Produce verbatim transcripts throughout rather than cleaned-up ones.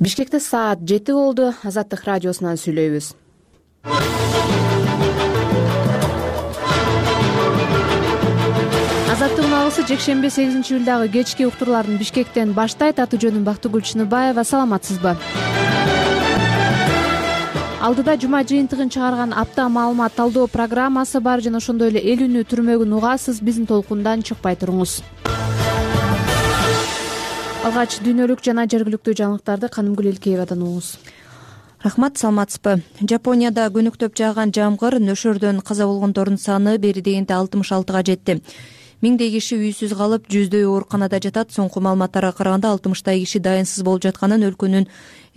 Бишкекте саат жети болду. Азаттык радиосунан сүйлөйбүз. Азаттыктын алысы жекшемби сегизинчи июлдагы кечки уктурларын Бишкектен баштайт. Аты жөнүм Бактыгүл Чыныбаева. Саламатсызбы? Алдыда жума жыйынтыгын чыгарган апта маалымат талдоо программасы бар жана ошондой эле эл үнү түрмөгүн угасыз. Биздин толкундан чыкпай туруңуз. Алгач дүйнөлүк жана жергиликтүү жаңылыктарды Канымгүл Элкеевадан угуңуз. Рахмат, саламатсызбы? Жапонияда көнүктөп жааган жамгыр нөшөрдөн каза болгондордун саны бери дегенде алтымыш алтыга жетти. Миңдей киши үйсүз калып, жүздөй ооруканада жатат. Соңку маалыматтарга караганда алтымыштай киши дайынсыз болуп жатканын өлкөнүн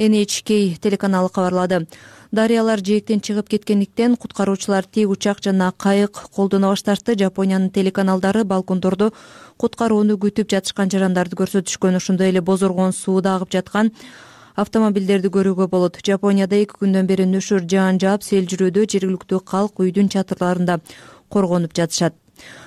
Эн Эйч Кей телеканалы кабарлады. Дарыялар жээктен чыгып кеткендиктен куткаруучулар тик учак жана кайык колдоно башташты. Жапониянын телеканалдары балкондордо куткарууну күтүп жатышкан жарандарды көрсөтүшкөн. Ошондой эле бозоргон сууда агып жаткан автомобилдерди көрүүгө болот. Жапонияда эки күндөн бери нөшөр жаан жаап, сел жүрүүдө жергиликтүү калк үйдүн чатырларында коргонуп жатышат.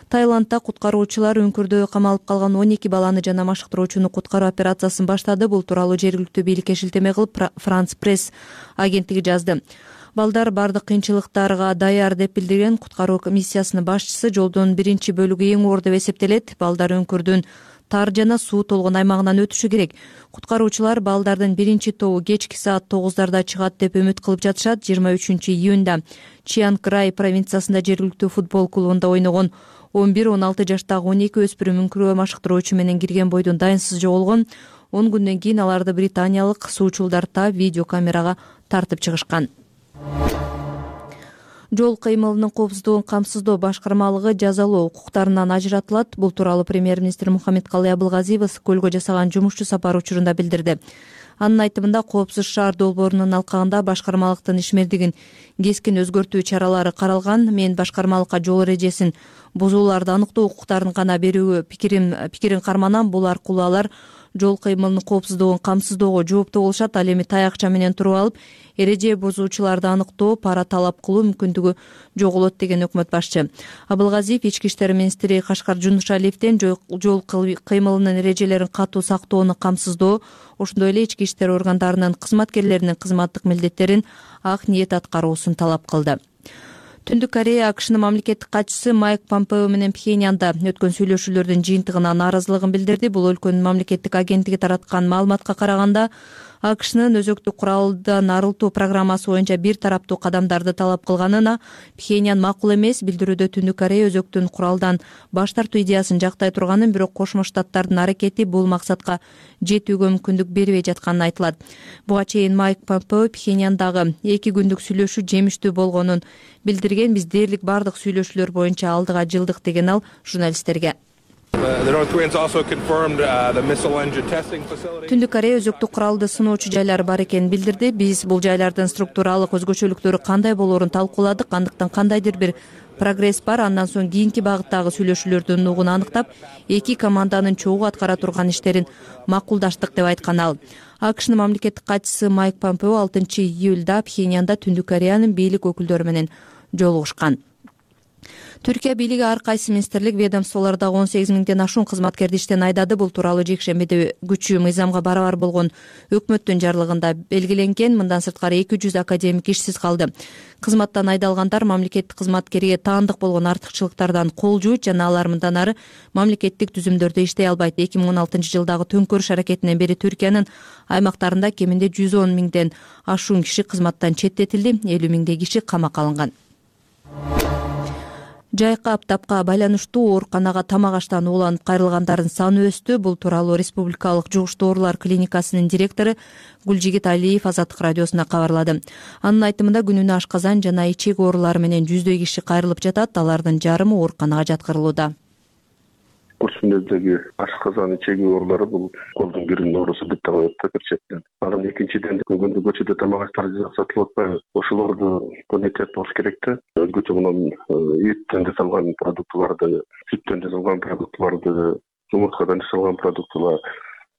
Таиландда куткаруучулар үңкүрдө камалып калган он эки баланы жана машыктыруучуну куткаруу операциясын баштады. Бул тууралуу жергиликтүү бийликке шилтеме кылып Франс пресс агенттиги жазды. Балдар бардык кыйынчылыктарга даяр деп билдирген куткаруу миссиясынын башчысы. Жолдун биринчи бөлүгү эң оор деп эсептелет. Балдар үңкүрдүн тар жана суу толгон аймагынан өтүшү керек. Куткаруучулар балдардын биринчи тобу кечки саат тогуздарда чыгат деп үмүт кылып жатышат. жыйырма үчүнчү июнда Чианг Рай провинциясында жергиликтүү футбол клубунда ойногон он бир он алты жаштагы он эки өспүрүм үңкүргө машыктыруучу менен кирген бойдон дайынсыз жоголгон. он күндөн кийин аларды британиялык суучулдар таап видеокамерага тартып чыгышкан. Жол кыймылынын коопсуздугун камсыздоо башкармалыгы жазалоо укуктарынан ажыратылат. Бул тууралуу премьер-министр Мухаммедкалый Абылгазиев көлгө жасаган жумушчу сапары учурунда билдирди. Анын айтымында, коопсуз шаар долбоорунун алкагында башкармалыктын ишмердигин кескин өзгөртүү чаралары каралган. Мен башкармалыкка жол эрежесин бузууларды аныктоо укуктарын гана берүүгө пикирим пикирин карманам. Бул аркылуу алар жол кыймылынын коопсуздугун камсыздоого жооптуу болушат. Ал эми таякча менен туруп алып, эреже бузуучуларды аныктоо, пара талап кылуу мүмкүндүгү жоголот деген өкмөт башчы. Абылгазиев ички иштер министри Кашкар Жунушалиевден жол кыймылынын эрежелерин катуу сактоону камсыздоо, ошондой эле ички иштер органдарынын кызматкерлеринин кызматтык милдеттерин ак ниет аткаруусун талап кылды. Түндүк Корея АКШнын мамлекеттик катчысы Майк Помпео менен Пхеньянда өткөн сүйлөшүүлөрдүн жыйынтыгына нааразылыгын билдирди. Бул өлкөнүн мамлекеттик агенттиги тараткан маалыматка караганда, АКШнын өзөктү куралдан арылтуу программасы боюнча бир тараптуу кадамдарды талап кылганына Пхеньян макул эмес. Билдирүүдө Түндүк Корея өзөктүн куралдан баш тартуу идеясын жактай турганын, бирок Кошмо Штаттардын аракети бул максатка жетүүгө мүмкүндүк бербей жатканын айтылат. Буга чейин Майк Помпео Пхеньяндагы эки күндүк сүйлөшүү жемиштүү болгонун билдирген. Биз дээрлик бардык сүйлөшүүлөр боюнча алдыга жылдык деген ал журналисттерге. Түндүк Корея өзөктүк куралды сыноочу жайлары бар экенин билдирди. Биз бул жайлардын структуралык өзгөчөлүктөрү кандай болоорун талкууладык. Андыктан кандайдыр бир прогресс бар. Андан соң кийинки багыттагы сүйлөшүүлөрдүн нугун аныктап, эки команданын чогуу аткара турган иштерин макулдаштык деп айткан ал. АКШнын мамлекеттик катчысы Майк Помпео алтынчы июлда Пхеньянда Түндүк Кореянын бийлик өкүлдөрү менен жолугушкан. Түркия бийлиги ар кайсы министрлик ведомстволордо он сегиз миңден ашуун кызматкерди иштен айдады. Бул тууралуу жекшембиде күчү мыйзамга барабар болгон өкмөттүн жарлыгында белгиленген. Мындан сырткары эки жүз академик ишсиз калды. Кызматтан айдалгандар мамлекеттик кызматкерге таандык болгон артыкчылыктардан кол жуут жана алар мындан ары мамлекеттик түзүмдөрдө иштей албайт. эки миң он алтынчы жылдагы төңкөрүш аракетинен бери Түркиянын аймактарында кеминде жүз он миңден ашуун киши кызматтан четтетилди. элүү миңдей киши камакка алынган. Жайкы аптапка байланыштуу ооруканага тамак аштан ууланып кайрылгандардын саны өстү. Бул тууралуу Республикалык жугуштуу оорулар клиникасынын директору Гүлжигит Алиев Азаттык радиосуна кабарлады. Анын айтымында, күнүнө ашказан жана ичек оорулары менен жүздөй киши кайрылып жатат. Алардын жарымы ооруканага жаткырылууда. Курсундагы ашказан ичеги оорулары бул колдун биринин оорусу деп табылат да бир четтен. Анан экинчиден күндө көчөдө тамак аштар сатылып атпайбы? Ошолорду контент болуш керек да. Өзгөчө мунун эттен жасалган продуктыларды, сүттөн жасалган продуктыларды, жумурткадан жасалган продуктылар,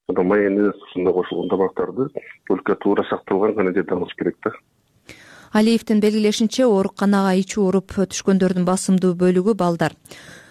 анан майонез ушундай кошулган тамактарды только туура сакталган гана жерде алыш керек да. Алиевдин белгилешинче, ооруканага ичи ооруп түшкөндөрдүн басымдуу бөлүгү балдар.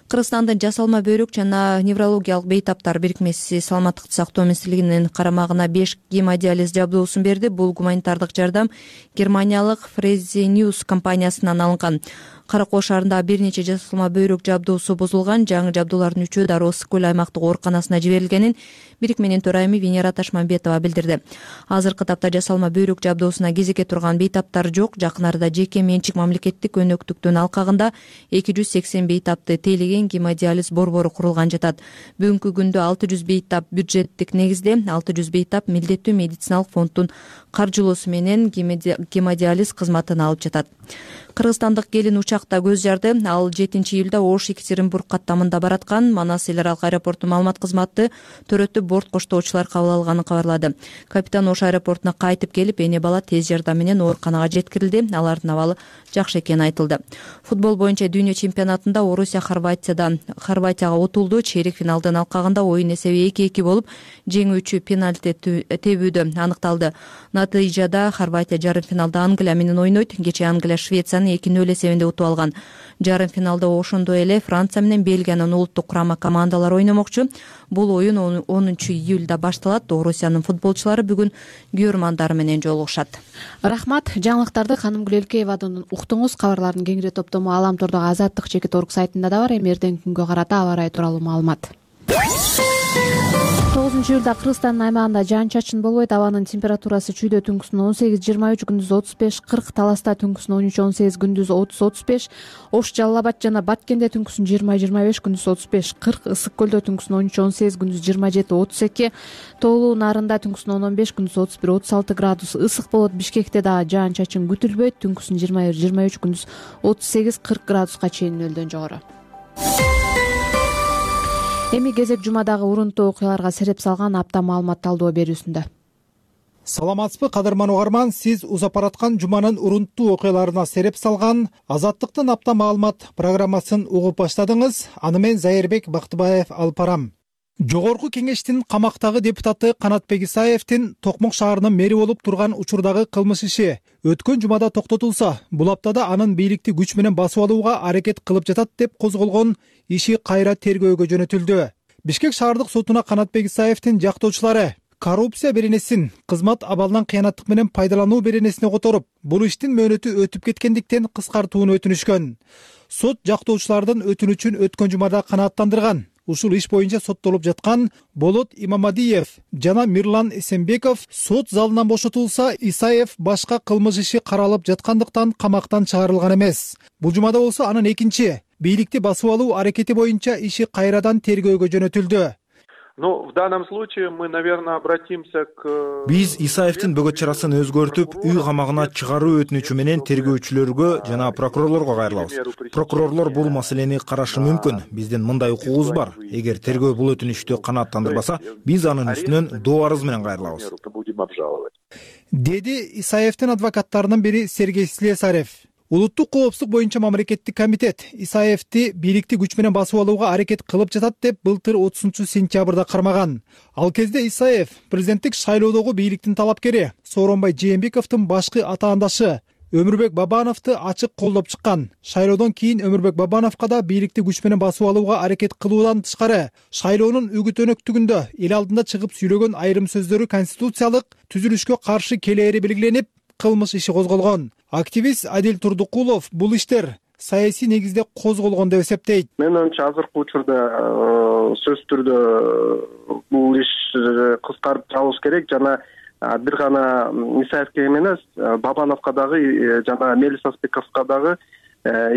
Кыргызстандын жасалма бөйрөк жана неврологиялык бейтаптар бирикмеси саламаттыкты сактоо министрлигинин карамагына беш гемодиализ жабдуусун берди. Бул гуманитардык жардам Германиялык Fresenius компаниясынан алынган. Кара Кол шаарындагы бир нече жасалма бөйрөк жабдуусу бузулган. Жаңы жабдуулардын үчөө дароо Ысык көл аймактык ооруканасына жиберилгенин бирикменин төрайымы Венера Ташмамбетова билдирди. Азыркы тапта жасалма бөйрөк жабдуусуна кезекке турган бейтаптар жок. Жакын арада жеке менчик мамлекеттик өнөктүктүн алкагында эки жүз сексен бейтапты тейлеген гемодиализ борбору курулган жатат. Бүгүнкү күндө алты жүз бейтап бюджеттик негизде, алты жүз бейтап милдеттүү медициналык фонддун каржылоосу менен гемодиализ кызматын алып жатат. Кыргызстандык келин учакта көз жарды. Ал жетинчи июлда Ош Екатеринбург каттамында бараткан. Манас эл аралык аэропорту маалымат кызматы төрөтүп борт коштоочулар кабыл алганын кабарлады. Капитан Ош аэропортуна кайтып келип, эне бала тез жардам менен ооруканага жеткирилди. Алардын абалы жакшы экени айтылды. Футбол боюнча дүйнө чемпионатында Орусия Хорватиядан Хорватияга утулду. Чейрек финалдын алкагында оюн эсеби эки-эки болуп, жеңүүчү пенальти тебүүдө аныкталды. Натыйжада Хорватия жарым финалда Англия менен ойнойт. Кечээ Англия Швецияны эки нөл эсебинде утуп алган. Жарым финалда ошондой эле Франция менен Бельгиянын улуттук курама командалары ойномокчу. Бул оюн онунчу июлда башталат. Орусиянын футболчулары бүгүн күйөрмандары менен жолугушат. Рахмат. Жаңылыктарды Канымгүл Элкеевадан уктуңуз. Кабарлардын кеңири топтому Аламтордогу Азаттык чекит орг сайтында да бар. Эми эртеңки күнгө карата аба ырайы тууралуу маалымат. тогузунчу июлда Кыргызстандын аймагында жаан-чачын болбойт. Абанын температурасы чүйдө түнкүсүн он сегиз жыйырма үч, күндүз отуз беш кырк, Таласта түнкүсүн он үч он сегиз, күндүз отуз отуз беш, Ош Жалал Абад жана Баткенде түнкүсүн жыйырма жыйырма беш, күндүз отуз беш кырк, Ысык көлдө түнкүсүн он үч он сегиз, күндүз жыйырма жети отуз эки, Тоолуу Нарында түнкүсүн он он беш, күндүз отуз бир отуз алты градус ысык болот. Бишкекте дагы жаан-чачын күтүлбөйт. Түнкүсүн жыйырма бир жыйырма үч, күндүз отуз сегиз кырк градуска чейин нөлдөн жогору. Эми кезек жумадагы урунттуу окуяларга сереп салган апта маалымат талдоо берүүсүндө. Саламатсызбы кадырман угарман, сиз узап бараткан жуманын урунттуу окуяларына сереп салган Азаттыктын апта маалымат программасын угуп баштадыңыз. Аны мен Зайырбек Бактыбаев алып барам. Жогорку кеңештин камактагы депутаты Канатбек Исаевдин Токмок шаарынын мэри болуп турган учурдагы кылмыш иши өткөн жумада токтотулса, бул аптада анын бийликти күч менен басып алууга аракет кылып жатат деп козголгон иши кайра тергөөгө жөнөтүлдү. Бишкек шаардык сотуна Канатбек Исаевдин жактоочулары коррупция беренесин кызмат абалынан кыянаттык менен пайдалануу беренесине которуп, бул иштин мөөнөтү өтүп кеткендиктен кыскартууну өтүнүшкөн. Сот жактоочулардын өтүнүчүн өткөн жумада канааттандырган. Ушул иш боюнча соттолуп жаткан Болот Имамадиев жана Мирлан Эсенбеков сот залынан бошотулса, Исаев башка кылмыш иши каралып жаткандыктан камактан чыгарылган эмес. Бул жумада болсо анын экинчи бийликти басып алуу аракети боюнча иши кайрадан тергөөгө жөнөтүлдү. Ну, в данном случае мы, наверное, обратимся к... Биз Исаевдин бөгөт чарасын өзгөртүп, үй камагына чыгаруу өтүнүчү менен тергөөчүлөргө жана прокурорлорго кайрылабыз. Прокурорлор бул маселени карашы мүмкүн. Биздин мындай укугубуз бар. Эгер тергөө бул өтүнүчтү канааттандырбаса, биз анын үстүнөн доо арыз менен кайрылабыз. Деди Исаевдин адвокаттарынын бири Сергей Слесарев. Улуттук коопсуздук боюнча мамлекеттик комитет Исаевди бийликти күч менен басып алууга аракет кылып жатат деп былтыр отузунчу сентябрда кармаган. Ал кезде Исаев президенттик шайлоодогу бийликтин талапкери Сооронбай Жээнбековдун башкы атаандашы Өмүрбек Бабановду ачык колдоп чыккан. Шайлоодон кийин Өмүрбек Бабановго да бийликти күч менен басып алууга аракет кылуудан тышкары шайлоонун үгүт өнөктүгүндө эл алдында чыгып сүйлөгөн айрым сөздөрү конституциялык түзүлүшкө каршы келери белгиленип, кылмыш иши козголгон. Активист Адил Турдукулов бул иштер саясий негизде козголгон деп эсептейт. Мен ойымча азыркы учурда сөзсүз түрдө бул иш кыскартып чыгыш керек жана бир гана Исаевке эмес, Бабановго дагы жана Мелис Аспековго дагы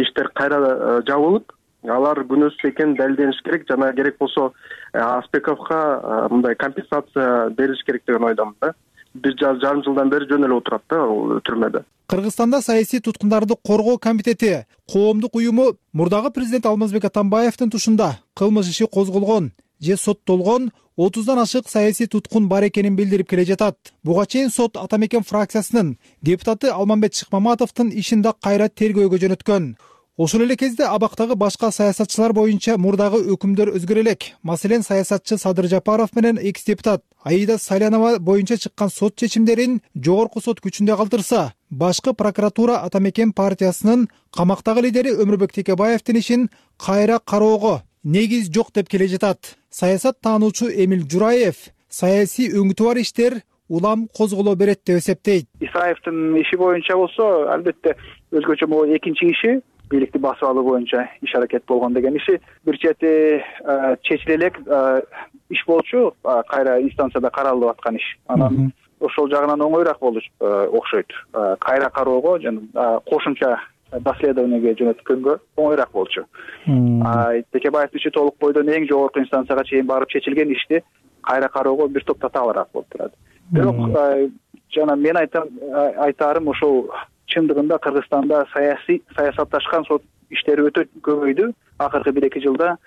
иштер кайра жабылып, алар күнөөсүз экени далилдениш керек жана керек болсо Аспековго мындай компенсация бериш керек деген ойдомун да. Бир жарым жылдан бери жөн эле отурат да ал түрмөдө. Кыргызстанда саясий туткундарды коргоо комитети коомдук уюму мурдагы президент Алмазбек Атамбаевдин тушунда кылмыш иши козголгон же соттолгон отуздан ашык саясий туткун бар экенин билдирип келе жатат. Буга чейин сот Атамекен фракциясынын депутаты Алмамбет Шыкмаматовдун ишин да кайра тергөөгө жөнөткөн. Ошол эле кезде абактагы башка саясатчылар боюнча мурдагы өкүмдөр өзгөрө элек. Маселен, саясатчы Садыр Жапаров менен экс депутат Аида Сайланова боюнча чыккан сот чечимдерин жогорку сот күчүндө калтырса, башкы прокуратура Атамекен партиясынын камактагы лидери Өмүрбек Текебаевдин ишин кайра кароого негиз жок деп келе жатат. Саясат таануучу Эмил Жураев саясий өңүтү бар иштер улам козголо берет деп эсептейт. Исаевдин иши боюнча болсо, албетте өзгөчө могу экинчи иши бийликти басып алуу боюнча иш аракет болгон деген иши бир чети чечиле элек иш болчу, кайра инстанцияда каралып аткан иш. Анан ошол жагынан оңоюраак болуш окшойт. Кайра кароого жана кошумча доследованиеге жөнөткөнгө оңоюраак болчу. Текебаевдин иши толук бойдон эң жогорку инстанцияга чейин барып чечилген ишти кайра кароого бир топ татаалыраак болуп турат. Бирок жана мен айтам айтарым ошол чындыгында Кыргызстанда саясий саясатташкан сот иштери өтө көбөйдү акыркы бир эки жылда.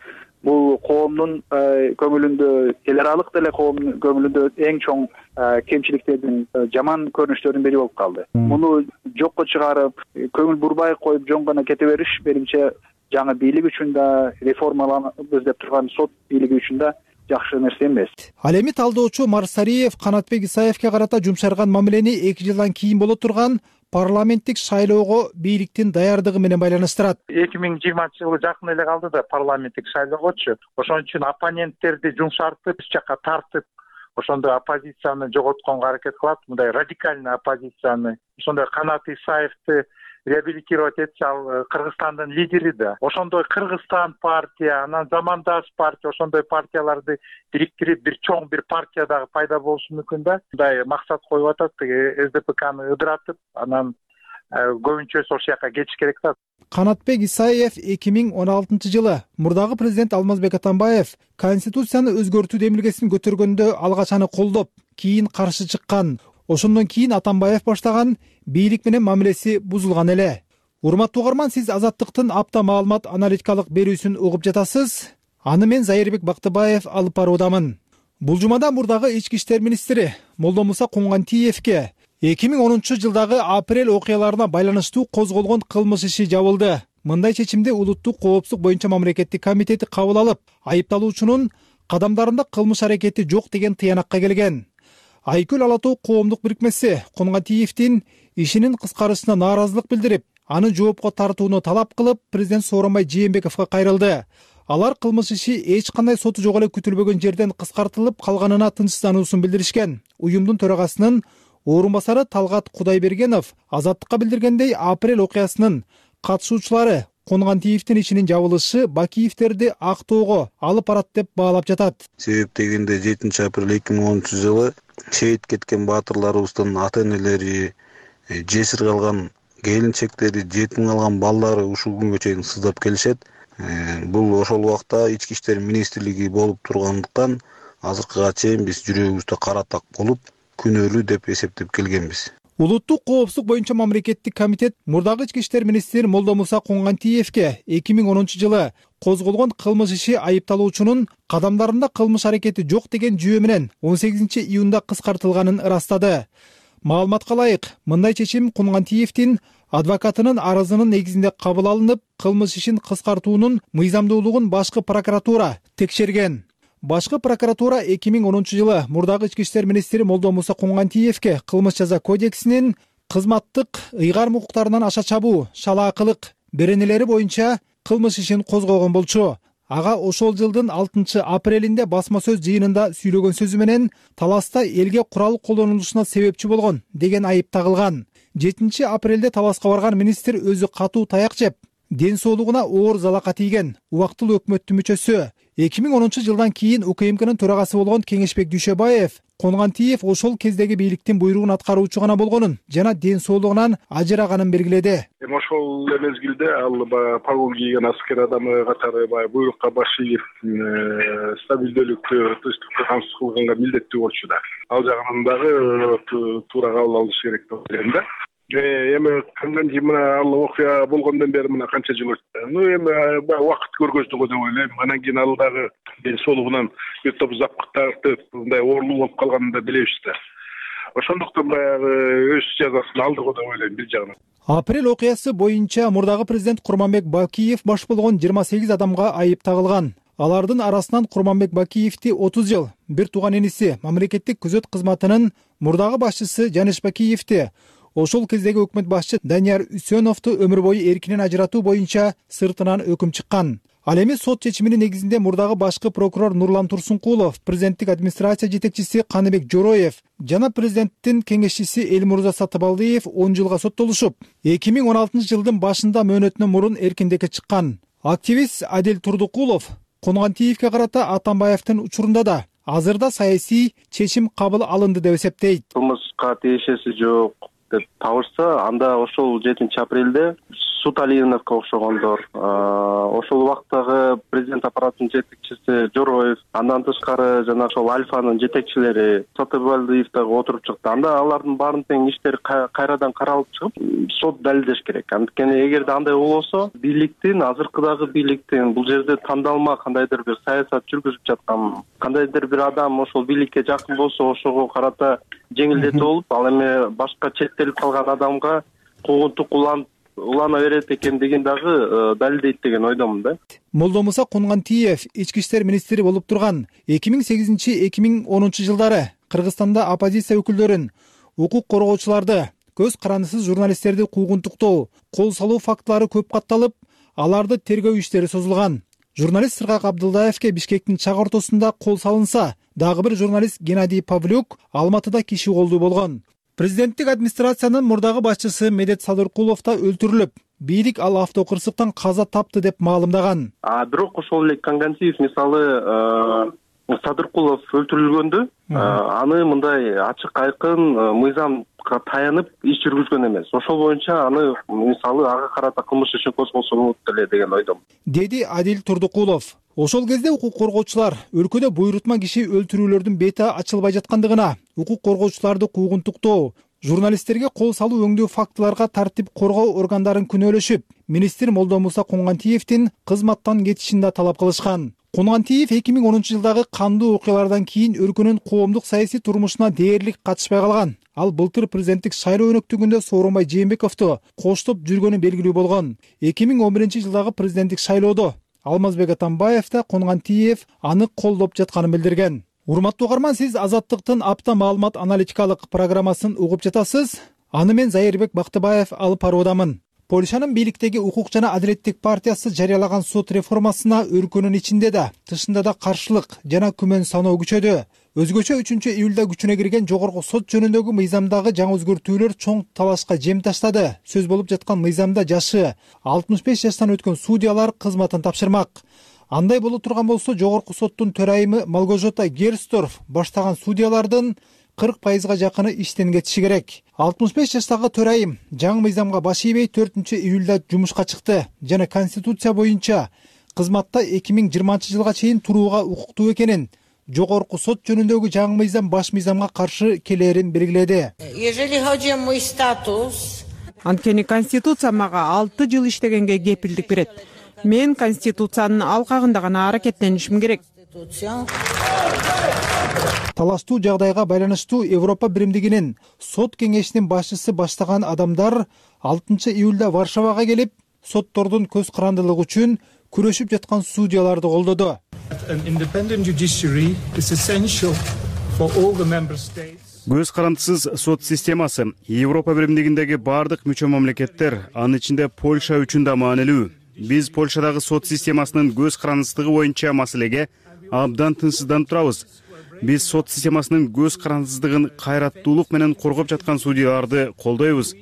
Бул коомдун көңүлүндө, эл аралык деле коомдун көңүлүндө эң чоң кемчиликтердин, жаман көрүнүштөрдүн бири болуп калды. Муну жокко чыгарып, көңүл бурбай коюп жөн гана кете бериш менимче жаңы бийлик үчүн да, реформаланабыз деп турган сот бийлиги үчүн да жакшы нерсе эмес. Ал эми талдоочу Марсариев Канатбек Исаевке карата жумшарган мамилени эки жылдан кийин боло турган парламенттик шайлоого бийликтин даярдыгы менен байланыштырат. эки миң жыйырманчы жылы жакын эле калды да парламенттик шайлоогочу. Ошон үчүн оппоненттерди жумшартып, бир жакка тартып, ошондой оппозицияны жоготконго аракет кылат, мындай радикальный оппозицияны. Ошондой Канат Исаевди реабилитировать этсе, ал Кыргызстандын лидери да. Ошондой Кыргызстан партия, анан замандаш партия, ошондой партияларды бириктирип бир чоң бир партия дагы пайда болушу мүмкүн да. Мындай максат коюп атат, эс дэ пэ каны ыдыратып, анан көбүнчөсү ошол жака кетиш керек да. Канатбек Исаев эки миң он алтынчы жылы мурдагы президент Алмазбек Атамбаев конституцияны өзгөртүү демилгесин көтөргөндө алгач аны колдоп, кийин каршы чыккан. Ошондон кийин Атамбаев баштаган бийлик менен мамилеси бузулган эле. Урматтуу угарман, сиз Азаттыктын апта маалымат аналитикалык берүүсүн угуп жатасыз. Аны мен Зайырбек Бактыбаев алып баруудамын. Бул жумада мурдагы ички иштер министри Молдомуса Куңгантиевке эки миң онунчу жылдагы апрель окуяларына байланыштуу козголгон кылмыш иши жабылды. Мындай чечимди Улуттук коопсуздук боюнча мамлекеттик комитети кабыл алып, айыпталуучунун кадамдарында кылмыш аракети жок деген тыянакка келген. Айкөл Ала Тоо коомдук бирикмеси Кунгантиевдин ишинин кыскарышына нааразылык билдирип, аны жоопко тартууну талап кылып, президент Сооронбай Жээнбековго кайрылды. Алар кылмыш иши эч кандай соту жок эле күтүлбөгөн жерден кыскартылып калганына тынчсыздануусун билдиришкен. Уюмдун төрагасынын орун басары Талгат Кудайбергенов Азаттыкка билдиргендей, апрель окуясынын катышуучулары Кунгантиевдин ишинин жабылышы Бакиевтерди Актоого алып барат деп баалап жатат. Себеп дегенде жетинчи апрель эки миң онунчу жылы шейит кеткен баатырларыбыздын ата-энелери, жесир калган келинчектери, жетим калган балдары ушул күнгө чейин сыздап келишет. Бул ошол убакта ички иштер министрлиги болуп тургандыктан азыркыга чейин биз жүрөгүбүздө кара так болуп, күнөөлүү деп эсептеп келгенбиз. Улуттук коопсуздук боюнча мамлекеттик комитет мурдагы ички иштер министри Молдомуса Куңгантиевке эки миң онунчу жылы козголгон кылмыш иши айыпталуучунун кадамдарында кылмыш аракети жок деген жүйө менен он сегизинчи июнда кыскартылганын ырастады. Маалыматка ылайык, мындай чечим Кунгантиевдин адвокатынын арызынын негизинде кабыл алынып, кылмыш ишин кыскартуунун мыйзамдуулугун башкы прокуратура текшерген. Башкы прокуратура эки миң онунчу жылы мурдагы ички иштер министри Молдомуса Куңгантиевке кылмыш жаза кодексинин кызматтык ыйгарым укуктарынан аша чабуу, шалаакылык беренелери боюнча кылмыш ишин козгогон болчу. Ага ошол жылдын алтынчы апрелинде басма сөз жыйынында сүйлөгөн сөзү менен таласта элге курал колдонулушуна себепчи болгон деген айып тагылган. жетинчи апрелде таласка барган министр өзү катуу таяк жеп, ден соолугуна оор залака тийген убактылуу өкмөттүн мүчөсү. эки миң онунчу жылдан кийин У К М Кнын төрагасы болгон Кеңешбек Дүйшөбаев Кунгантиев ошол кездеги бийликтин буйругун аткаруучу гана болгонун жана ден соолугунан ажыраганын белгиледи. Эми ошол мезгилде ал баягы погон кийген аскер адамы катары баягы буйрукка баш ийип, стабилдүүлүктү, тынчтыкты камсыз кылганга милдеттүү болчу да. Ал жагынан дагы туура кабыл алыш керек деп ойлойм да. Эми кандай мына ал окуя болгондон бери мына канча жыл өттү. Ну эми убакыт көргөздүгү деп ойлойм. Анан кийин ал дагы ден соолугунан бир топ запкыттарды мындай оорлуу болуп калганын да билебиз да. ошондуктан баягы өз жазасын алды го деп ойлойм бир жагынан. Апрель окуясы боюнча мурдагы президент Курманбек Бакиев баш болгон жыйырма сегиз адамга айып тагылган. Алардын арасынан Курманбек Бакиевди отуз жыл, бир тууган иниси мамлекеттик күзөт кызматынын мурдагы башчысы Жаныш Бакиевди, ошол кездеги өкмөт башчы Данияр Үсөновду өмүр бою эркинен ажыратуу боюнча сыртынан өкүм чыккан. Ал эми сот чечиминин негизинде мурдагы башкы прокурор Нурлан Турсункулов, президенттик администрация жетекчиси Каныбек Жороев жана президенттин кеңешчиси Элмурза Сатыбалдиев он жылга соттолушуп, эки миң он алтынчы жылдын башында мөөнөтүнөн мурун эркиндикке чыккан. Активист Адил Турдукулов Кунгантиевге карата Атамбаевдин учурунда да азырда саясий чечим кабыл алынды деп эсептейт. Кылмышка тиешеси жок деп табышса, анда ошол жетинчи апрелде Суталиновго окшогондор, ошол убактагы президент аппаратынын жетекчиси Жороев, андан тышкары жана ошол Альфанын жетекчилери Сатыбалдиев дагы отуруп чыкты. Анда алардын баарын тең иштери кайрадан каралып чыгып, сот далилдеш керек. Анткени эгерде андай болсо, бийликтин, азыркыдагы бийликтин бул жерде тандалма кандайдыр бир саясат жүргүзүп жаткан, кандайдыр бир адам ошол бийликке жакын болсо, ошого карата жеңилдетип болуп, ал эми башка четтелип калган адамга куугунтук уланып улана берет экендигин дагы далилдейт деген ойдомун да. Молдомуса Кунгантиев ички иштер министри болуп турган эки миң сегизинчи — эки миң онунчу жылдары Кыргызстанда оппозиция өкүлдөрүн, укук коргоочуларды, көз карандысыз журналисттерди куугунтуктоо, кол салуу фактылары көп катталып, аларды тергөө иштери созулган. Журналист Сыргак Абдылдаевке Бишкектин чак ортосунда кол салынса, дагы бир журналист Геннадий Павлюк Алматыда киши колдуу болгон. Президенттик администрациянын мурдагы башчысы Медет Садыркулов да өлтүрүлүп, бийлик ал автокырсыктан каза тапты деп маалымдаган. А бирок ошол эле Кангантиев мисалы Садыркулов өлтүрүлгөндө, аны мындай ачык айкын мыйзамга таянып иш жүргүзгөн эмес. Ошол боюнча аны мисалы ага карата кылмыш ишин козголсо болот эле деген ойдом, деди Адил Турдукулов. Ошол кезде укук коргоочулар өлкөдө буйрутма киши өлтүрүүлөрдүн бети ачылбай жаткандыгына, укук коргоочуларды куугунтуктоо, журналисттерге кол салуу өңдүү фактыларга тартип коргоо органдарын күнөөлөшүп, министр Молдомуса Кунгантиевдин кызматтан кетишин да талап кылышкан. Кунгантиев эки миң онунчу жылдагы кандуу окуялардан кийин өлкөнүн коомдук саясий турмушуна дээрлик катышпай калган. Ал былтыр президенттик шайлоо өнөктүгүндө Сооронбай Жээнбековду коштоп жүргөнү белгилүү болгон. эки миң он биринчи жылдагы президенттик шайлоодо Алмазбек Атамбаев да Кунгантиев аны колдоп жатканын билдирген. Урматтуу угарман, сиз Азаттыктын апта маалымат аналитикалык программасын угуп жатасыз. Аны мен Зайырбек Бактыбаев алып баруудамын. Польшанын бийликтеги укук жана адилеттик партиясы жарыялаган сот реформасына өлкөнүн ичинде да, тышында да каршылык жана күмөн саноо күчөдү. Өзгөчө үчүнчү июлда күчүнө кирген жогорку сот жөнүндөгү мыйзамдагы жаңы өзгөртүүлөр чоң талашка жем таштады. Сөз болуп жаткан мыйзамда жашы алтымыш беш жаштан өткөн судьялар кызматын тапшырмак. Андай боло турган болсо, жогорку соттун төрайымы Малгожота Герсторф баштаган судьялардын кырк пайызга жакыны иштен кетиши керек. алтымыш беш жаштагы төрайым жаңы мыйзамга баш ийбей төртүнчү июлда жумушка чыкты жана конституция боюнча кызматта эки миң жыйырманчы жылга чейин турууга укуктуу экенин, жогорку сот жөнүндөгү жаңы мыйзам баш мыйзамга каршы келерин белгиледи. Анткени конституция мага алты жыл иштегенге кепилдик берет. Мен конституциянын алкагында гана аракеттенишим керек. Талаштуу жагдайга байланыштуу Европа биримдигинин сот кеңешинин башчысы баштаган адамдар алтынчы июлда Варшавага келип, соттордун көз карандылыгы үчүн күрөшүп жаткан судьяларды колдоду. Көз карандысыз сот системасы Европа биримдигиндеги бардык мүчө мамлекеттер, анын ичинде Польша үчүн да маанилүү. Биз Польшадагы сот системасынын көз карандысыздыгы боюнча маселеге абдан тынчсызданып турабыз. Биз сот системасынын көз карандысыздыгын кайраттуулук менен коргоп жаткан судьяларды колдойбуз,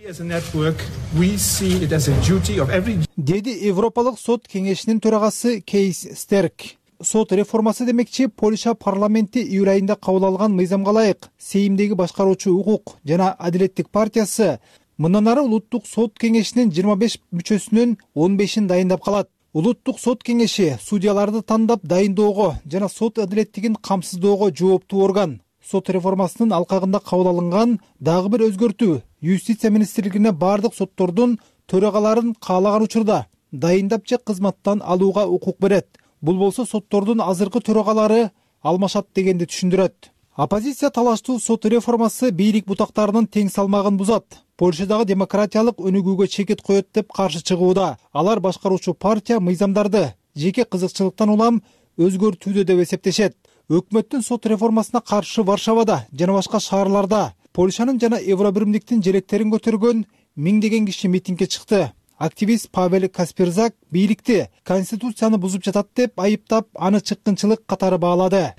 деди Европалык сот кеңешинин төрагасы Кейс Стерк. Сот реформасы демекчи, Польша парламенти июль айында кабыл алган мыйзамга ылайык Сеймдеги башкаруучу укук жана адилеттик партиясы мындан ары улуттук сот кеңешинин жыйырма беш мүчөсүнүн он бешин дайындап калат. Улуттук сот кеңеши судьяларды тандап дайындоого жана сот адилеттигин камсыздоого жооптуу орган. Сот реформасынын алкагында кабыл алынган дагы бир өзгөртүү Юстиция министрлигине бардык соттордун төрагаларын каалаган учурда дайындап же кызматтан алууга укук берет. Бул болсо соттордун азыркы төрагалары алмашат дегенди түшүндүрөт. Оппозиция талаштуу сот реформасы бийлик бутактарынын тең салмагын бузат. Польшадагы демократиялык өнүгүүгө чекит коет деп каршы чыгууда. Алар башкаруучу партия мыйзамдарды жеке кызыкчылыктан улам өзгөртүүдө деп эсептешет. Өкмөттүн сот реформасына каршы Варшавада жана башка шаарларда Польшанын жана Евробиримдиктин желектерин көтөргөн миңдеген киши митингге чыкты. Активист Павел Касперзак бийликти конституцияны бузуп жатат деп айыптап, аны чыккынчылык катары баалады.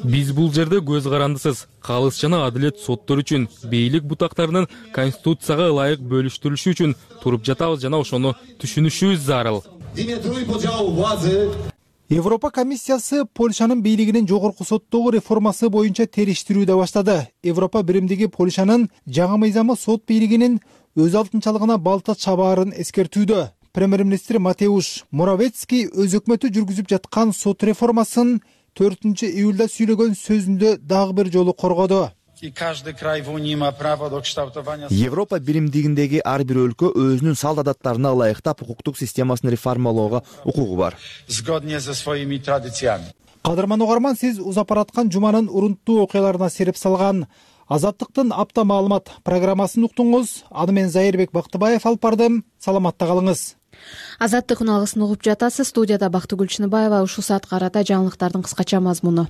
Биз бул жерде көз карандысыз, калыс жана адилет соттор үчүн, бийлик бутактарынын конституцияга ылайык бөлүштүрүлүшү үчүн туруп жатабыз жана ошону түшүнүшүбүз зарыл. Европа комиссиясы Польшанын бийлигинин жогорку соттогу реформасы боюнча териштирүүдө баштады. Европа биримдиги Польшанын жаңы мыйзамы сот бийлигинин өз алтынчалыгына балта чабаарын эскертүүдө. Премьер-министр Матеуш Моровецкий өз өкмөтү жүргүзүп жаткан сот реформасын төртүнчү июлда сүйлөгөн сөзүндө дагы бир жолу коргоду. Европа биримдигиндеги ар бир өлкө өзүнүн салт адаттарына ылайыктап укуктук системасын реформалоого укугу бар. Кадырман угарман, сиз узап бараткан жуманын урунттуу окуяларына сереп салган Азаттыктын апта маалымат программасын уктуңуз. Аны мен Зайырбек Бактыбаев алып бардым. Саламатта калыңыз. Азаттык үналысын угуп жатасыз. Студияда Бактыгүл Чыныбаева. Ушул саатка карата жаңылыктардын кыскача мазмуну.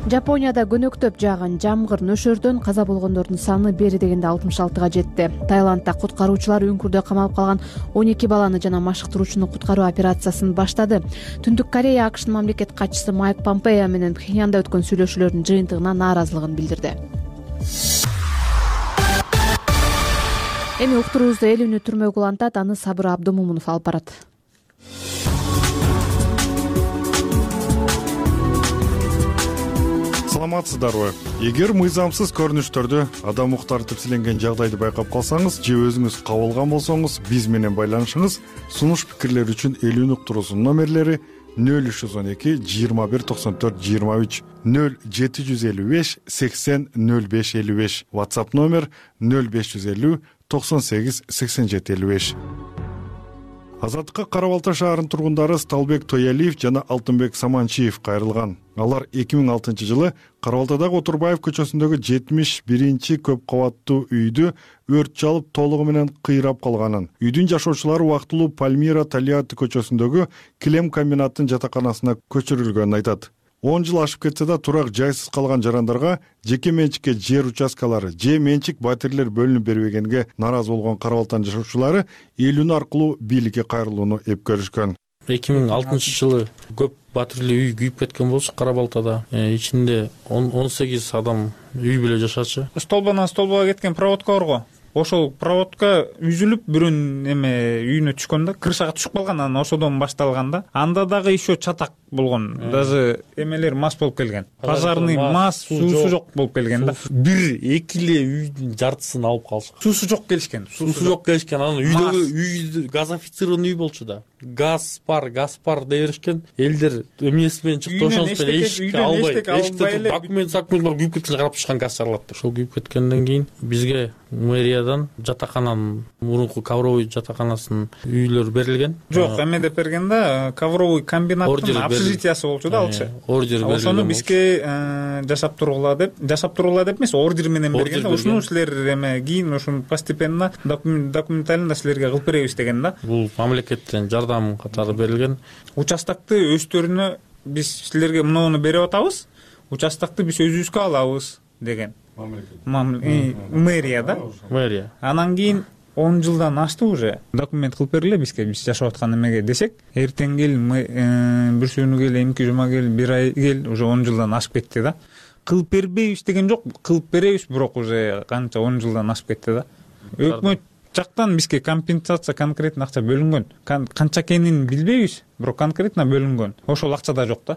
Жапонияда көнөктөп жааган жамгыр нөшөрдөн каза болгондордун саны бери дегенде алтымыш алтыга жетти. Таиландда куткаруучулар үңкүрдө камалып калган он эки баланы жана машыктыруучуну куткаруу операциясын баштады. Түндүк Корея АКШнын мамлекет катчысы Майк Помпео менен Пхеньянда өткөн сүйлөшүүлөрдүн жыйынтыгына нааразылыгын билдирди. Эми уктуруубузду эл үнү түрмөгү улантат, аны Сабыр Абдымомунов алып барат. Саламатсыздарбы? Эгер мыйзамсыз көрүнүштөрдү, адам укуктары тепселенген жагдайды байкап калсаңыз же өзүңүз кабылган болсоңуз, биз менен байланышыңыз. Сунуш пикирлер үчүн эл үнү уктуруусунун номерлери нөл үч жүз он эки жыйырма бир токсон төрт жыйырма үч, нөл жети жүз элүү беш сексен нөл беш элүү беш, WhatsApp номер нөл беш жүз элүү токсон сегиз сексен жети элүү беш. Азаттыкка Кара Балта шаарынын тургундары Сталбек Тоялиев жана Алтынбек Саманчиев кайрылган. Алар эки миң алтынчы жылы Кара Балтадагы Отурбаев көчөсүндөгү жетимиш биринчи көп кабаттуу үйдү өрт чалып толугу менен кыйрап калганын, үйдүн жашоочулары убактылуу Пальмира Талиати көчөсүндөгү килем комбинаттын жатаканасына көчүрүлгөнүн айтат. он жыл ашып кетсе да турак жайсыз калган жарандарга жеке менчикке жер участкалары же менчик батирлер бөлүнүп бербегенге нааразы болгон Кара Балтанын жашоочулары эл үнү аркылуу бийликке кайрылууну эп көрүшкөн. эки миң алтынчы жылы көп батирлүү үй күйүп кеткен болчу Кара Балтада. Ичинде он сегиз адам үй бүлө жашачу. Столбанан столбага кеткен проводка бар го. Ошол проводка үзүлүп бирөөнүн эме үйүнө түшкөн да, крышага түшүп калган, анан ошодон башталган да. Анда дагы еще чатак болгон. Даже эмелер мас болуп келген. Пожарный мас, суусу жок болуп келген да. Бир эки эле үйдүн жартысын алып калышкан. Суусу жок келишкен. Суусу жок келишкен. Анан үйдөгү үй газифицированный үй болчу да. Газ бар, газ бар деп беришкен. Элдер эмнеси менен чыкты, ошонусу менен эшикке албай, эшикте документ сакментler күйүп кеткен, карап чыккан газ чыгарылат. Ошол күйүп кеткенден кийин бизге мэриядан жатакананын мурунку ковровый жатаканасынын үйлөрү берилген. Жок, эме деп берген да, ковровый комбинаттын общежитиясы болчу да алчы. Ордер берилген. Ошону бизге жашап тургула деп, жашап тургула деп эмес, ордер менен берген да. Ушуну силер эме кийин ушуну постепенно документально силерге кылып беребиз деген да. Бул мамлекеттен жардам катары берилген. Участокты өздөрүнө биз силерге мынуну берип атабыз. Участокты биз өзүбүзгө алабыз деген. Мэрия да? Мэрия. Анан кийин он жылдан ашты уже. Документ кылып бергиле бизге, биз жашап аткан эмеге десек, эртең кел, бир сүүнү кел, эмки жума кел, бир ай кел, уже он жылдан ашып кетти да. Кылып бербейбиз деген жок, кылып беребиз, бирок уже канча он жылдан ашып кетти да. Өкмөт жактан бизге компенсация конкретно акча бөлүнгөн. Канча экенин билбейбиз, бирок конкретно бөлүнгөн. Ошол акча да жок да.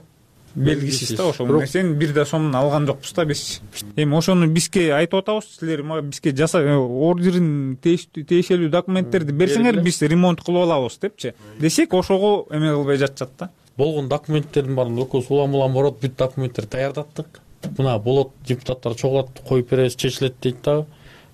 Белгисиз да, ошол нерсени бир да сомун алган жокпуз да биз. Эми ошону бизге айтып атабыз, силер бизге жаса ордерин тиешелүү документтерди берсеңер, биз ремонт кылып алабыз депчи. Десек, ошого эме кылбай жатышат да. Болгон документтердин баарын экөөбүз улам-улам барып, бүт документтер даярдаттык. Мына болот, депутаттар чогулат, коюп беребиз, чечилет дейт да.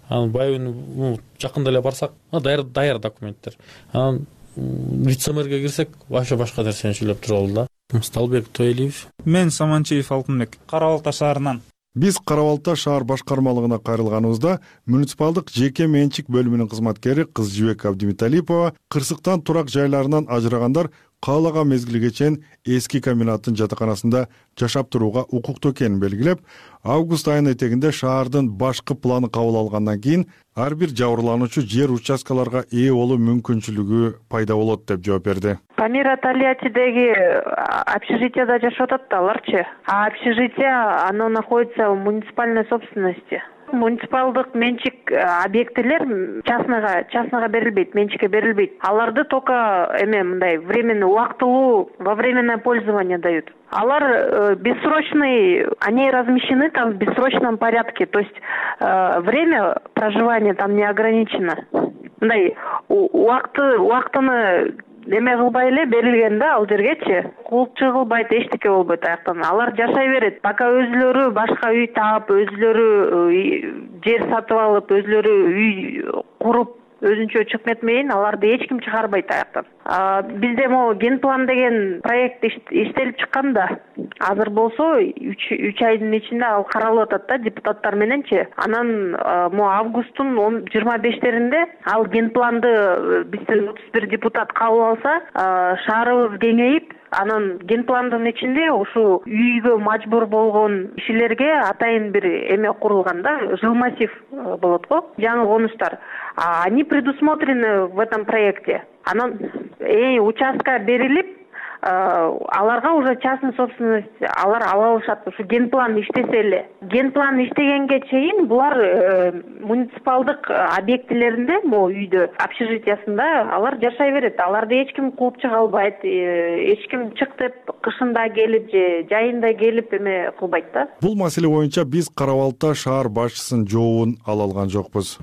Анан байыбын жакында эле барсак, даяр даяр документтер. Анан вице-мэрге кирсек, вообще башка нерсени сүйлөп турабыз да. Мусталбек Тойлиев. Мен Саманчиев Алтынбек, Кара Балта шаарынан. Биз Кара Балта шаар башкармалыгына кайрылганыбызда муниципалдык жеке менчик бөлүмүнүн кызматкери Кыз Жибек Абдимиталипова кырсыктан турак жайларынан ажырагандар каалаган мезгилге чейин эски комбинаттын жатаканасында жашап турууга укуктуу экенин белгилеп, август айынын этегинде шаардын башкы планы кабыл алгандан кийин ар бир жабырлануучу жер участкаларга ээ болуу мүмкүнчүлүгү пайда болот деп жооп берди. Памира Тольяттидеги общежитияда жашап атат да аларчы. А общежитие, оно находится в муниципальной собственности. Муниципалдык менчик объектилер частныйга частныйга берилбейт, менчикке берилбейт. Аларды только эме мындай временный, убактылуу, во временное пользование дают. Алар э, бессрочный, они размещены там в бессрочном порядке, то есть э, время проживания там не ограничено. Мындай убакты убактыны эме кылбай эле берилген да ал жергечи. Кулчу кылбайт, эчтеке болбойт аяктан. Алар жашай берет. Пока өзүлөрү башка үй таап, өзүлөрү жер сатып алып, өзүлөрү үй куруп, өзүнчө чыгып кетмейин, аларды эч ким чыгарбайт аяктан. Бизде могу генплан деген проект иштелип чыккан да. Азыр болсо үч айдын ичинде ал каралып атат да депутаттар мененчи. Анан могу августтун жыйырма бештеринде ал генпланды бизден отуз бир депутат кабыл алса, шаарыбыз кеңейип, анан генпландын ичинде ушу үйгө мажбур болгон кишилерге атайын бир эме курулган да, жилмассив болот го, жаңы конуштар. Они предусмотрены в этом проекте. Анан э участка берилип, аларга уже частный собственность алар ала алышат. Ушу генплан иштесе эле. Генплан иштегенге чейин булар муниципалдык объектилеринде, могу үйдө, общежитиясында алар жашай берет. Аларды эч ким кууп чыга албайт, эч ким чык деп кышында келип же жайында келип эме кылбайт да. Бул маселе боюнча биз Кара Балта шаар башчысынын жообун ала алган жокпуз.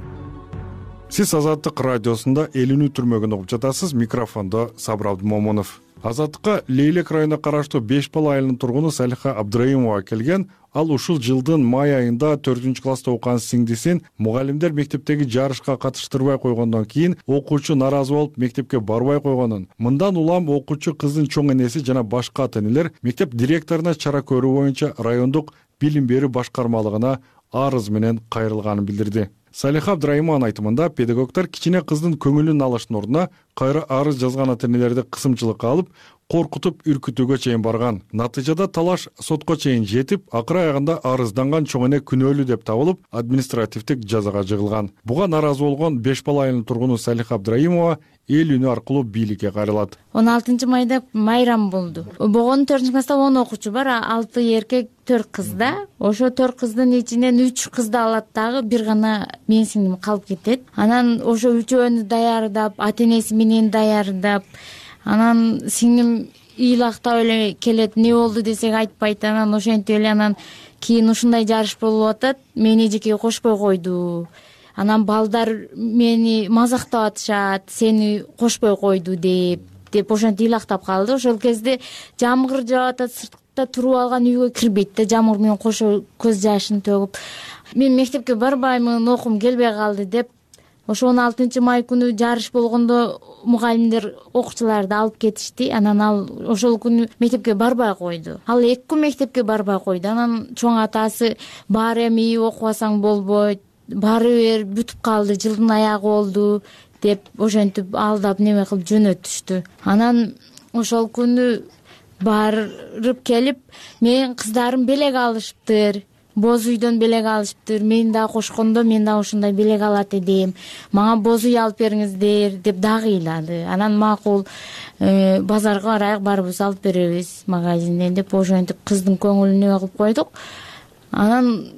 Сиз Азаттык радиосунда элүүнү түрмөгүн угуп жатасыз. Микрофондо Сабыр Абдымомунов. Азаттыкка Лейлек районуна караштуу Беш Бала айылынын тургуну Салиха Абдраимова келген. Ал ушул жылдын май айында төртүнчү класста окуган сиңдисин мугалимдер мектептеги жарышка катыштырбай койгондон кийин окуучу наразы болуп мектепке барбай койгонун, мындан улам окуучу кыздын чоң энеси жана башка ата-энелер мектеп директоруна чара көрүү боюнча райондук билим берүү башкармалыгына арыз менен кайрылганын билдирди. Салиха Абдраимованын айтымында педагогдор кичине кыздын көңүлүн алыштын ордуна кайра арыз жазган ата-энелерди кысымчылыкка алып, коркутуп үркүтүүгө чейин барган. Натыйжада талаш сотко чейин жетип, акыры аягында арызданган чоң эне күнөөлүү деп табылып, административдик жазага жыгылган. Буга наразы болгон Беш Бала айылынын тургуну Салиха Абдраимова эл үнү аркылуу бийликке кайрылат. он алтынчы майда майрам болду. Богонун төртүнчү класста он окуучу бар, алты эркек, төрт кыз да. Ошо төрт кыздын ичинен үч кызды алат дагы, бир гана менин сиңдим калып кетет. Анан ошо үчөөнү даярдап, ата-энеси менен даярдап, анан сиңдим ыйлактап эле келет, не болду десек айтпайт. Анан ошентип эле анан кийин ушундай жарыш болуп атат, мени эжекеге кошпой койду. Анан балдар мени мазактап атышат, сени кошпой койду деп, деп ошентип ыйлактап калды. Ошол кезде жамгыр жаап атат, сыртта туруп алган үйгө кирбейт да, жамгыр менен кошо көз жашын төгүп. Мен мектепке барбаймын, окуум келбей калды деп. Ошо он алтынчы май күнү жарыш болгондо мугалимдер окуучуларды алып кетишти. Анан ал ошол күнү мектепке барбай койду. Ал эки күн мектепке барбай койду. Анан чоң атасы бар эми окубасаң болбойт, бары бер бүтүп калды, жылдын аягы болду деп ошентип алдап неме кылып жөнөтүштү. Анан ошол күнү барып келип, менин кыздарым белек алышыптыр, боз үйдөн белек алышыптыр, мени дагы кошкондо мен дагы ушундай белек алат элем, мага боз үй алып бериңиздер деп дагы ыйлады. Анан макул, базарга барайык, барыбыз алып беребиз магазинден деп ошентип кыздын көңүлүн неме кылып койдук. Анан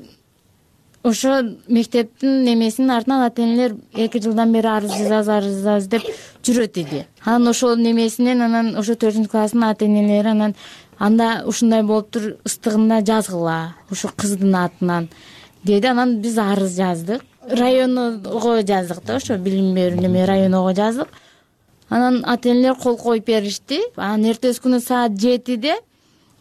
ошо мектептин немесинин артынан ата-энелер эки жылдан бери арыз жазабыз, арыз жазабыз деп жүрөт иди. Анан ошол немесинен анан ошо төртүнчү класстын ата-энелери анан анда ушундай болуптур, ыстыгында жазгыла ушу кыздын атынан деди. Анан биз арыз жаздык, районго жаздык да, ошо билим берүү неме районго жаздык. Анан ата-энелер кол коюп беришти. Анан эртеси күнү саат жетиде,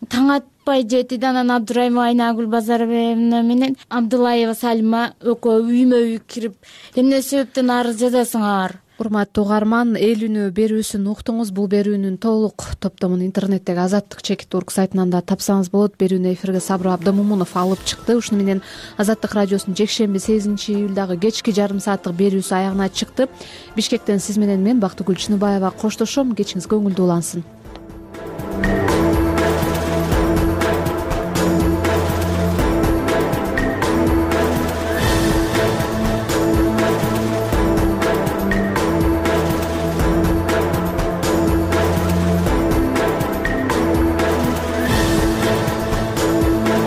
таң атпай жетиде анан Абдраимова Айнагүл Базарбаевна менен Абдылаева Салима экөө үймө үй кирип, эмне себептен арыз жазасыңар? урматтуу угарман, эл үнү берүүсүн уктуңуз. Бул берүүнүн толук топтомун интернеттеги Азаттык чекит орг сайтынан да тапсаңыз болот. Берүүнү эфирге Сабыр Абдымомунов алып чыкты. Ушуну менен Азаттык радиосунун жекшемби сегизинчи июлдагы кечки жарым сааттык берүүсү аягына чыкты. Бишкектен сиз менен мен Бактыгүл Чыныбаева коштошом. Кечиңиз көңүлдүү улансын.